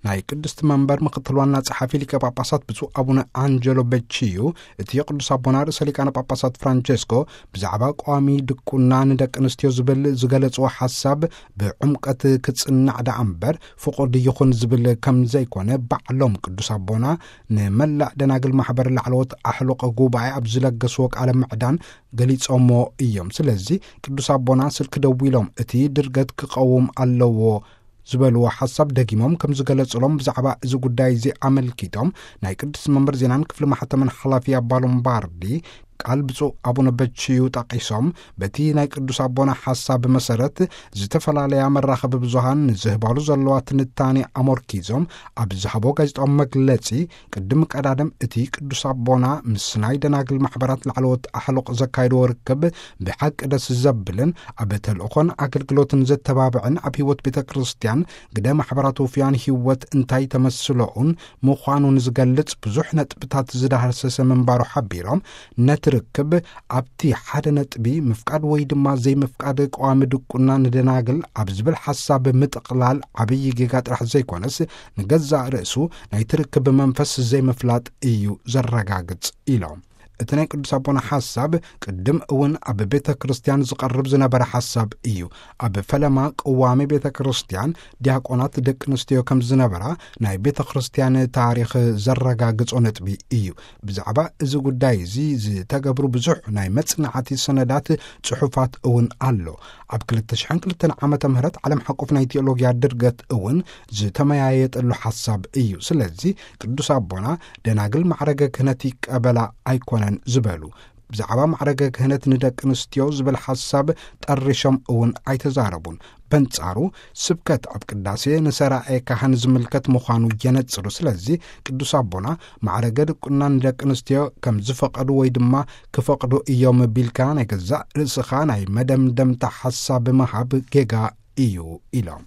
ናይ ቅድስቲ መንበር ምክትል ዋና ጸሓፊ ሊቀ ጳጳሳት ብፁዕ ኣቡነ ኣንጀሎ በቺዩ፣ እቲ ቅዱስ ኣቦና ርእሰ ሊቃነ ጳጳሳት ፍራንቸስኮ ብዛዕባ ቀዋሚ ድቁና ንደቂ ኣንስትዮ ዝብል ዝገለጽዎ ሓሳብ ብዕምቀት ክጽናዕ ደኣ እምበር ፍቑድ ይኹን ዝብል ከም ዘይኮነ ባዕሎም ቅዱስ ኣቦና ንመላእ ደናግል ማሕበር ላዕለዎት ኣሕሉቕ ጉባኤ ኣብ ዝለገስዎ ቃለ ምዕዳን ገሊጾሞ እዮም። ስለዚ ቅዱስ ኣቦና ስልኪ ደዊሎም እቲ ድርገት ክቐውም ኣለዎ ዝበልዎ ሓሳብ ደጊሞም ከም ዝገለጹሎም ብዛዕባ እዚ ጉዳይ እዚ ኣመልኪቶም ናይ ቅዱስ መንበር ዜናን ክፍሊ ማሕተምን ሓላፊ ኣባ ሎምባርዲ ቃል ብፁዕ ኣቡነ በቺዩ ጠቒሶም፣ በቲ ናይ ቅዱስ ኣቦና ሓሳብ መሰረት ዝተፈላለያ መራኸቢ ብዙሃን ንዝህባሉ ዘለዋ ትንታኔ ኣመርኪዞም ኣብ ዝሃቦ ጋዜጣዊ መግለጺ፣ ቅድሚ ቀዳድም እቲ ቅዱስ ኣቦና ምስ ናይ ደናግል ማሕበራት ላዕለዎት ኣሕሉቕ ዘካየድዎ ርክብ ብሓቂ ደስ ዘብልን ኣብ ተልእኾን ኣገልግሎትን ዘተባብዕን ኣብ ህይወት ቤተ ክርስቲያን ግደ ማሕበራት ውፍያን ህይወት እንታይ ተመስለኡን ምዃኑን ዝገልጽ ብዙሕ ነጥብታት ዝዳህሰሰ ምንባሩ ሓቢሮም፣ ነቲ ርክብ ኣብቲ ሓደ ነጥቢ ምፍቃድ ወይ ድማ ዘይምፍቃድ ቀዋሚ ድቁና ንደናግል ኣብ ዝብል ሓሳብ ምጥቕላል ዓብዪ ጌጋ ጥራሕ ዘይኮነስ፣ ንገዛእ ርእሱ ናይቲ ርክብ መንፈስ ዘይምፍላጥ እዩ ዘረጋግጽ ኢሎም። እቲ ናይ ቅዱስ ኣቦና ሓሳብ ቅድም እውን ኣብ ቤተ ክርስቲያን ዝቐርብ ዝነበረ ሓሳብ እዩ። ኣብ ፈለማ ቅዋሜ ቤተ ክርስቲያን ዲያቆናት ደቂ ኣንስትዮ ከም ዝነበራ ናይ ቤተ ክርስቲያን ታሪኽ ዘረጋግጾ ነጥቢ እዩ። ብዛዕባ እዚ ጉዳይ እዚ ዝተገብሩ ብዙሕ ናይ መጽናዕቲ ሰነዳት፣ ጽሑፋት እውን ኣሎ። ኣብ ክልተ ሽሕን ክልተን ዓመተ ምህረት ዓለም ሓቆፍ ናይ ቴዎሎጊያ ድርገት እውን ዝተመያየጠሉ ሓሳብ እዩ። ስለዚ ቅዱስ ኣቦና ደናግል ማዕረገ ክህነት ይቀበላ ኣይኮነን ዝበሉ፣ ብዛዕባ ማዕረገ ክህነት ንደቂ ኣንስትዮ ዝብል ሓሳብ ጠሪሾም እውን ኣይተዛረቡን። በንጻሩ ስብከት ኣብ ቅዳሴ ንሰራኤ ካህን ዝምልከት ምዃኑ የነጽሩ። ስለዚ ቅዱስ ኣቦና ማዕረገ ድቁና ንደቂ ኣንስትዮ ከም ዝፈቐዱ ወይ ድማ ክፈቕዱ እዮም ቢልካ ናይ ገዛእ ርእስኻ ናይ መደምደምታ ሓሳብ ምሃብ ጌጋ እዩ ኢሎም።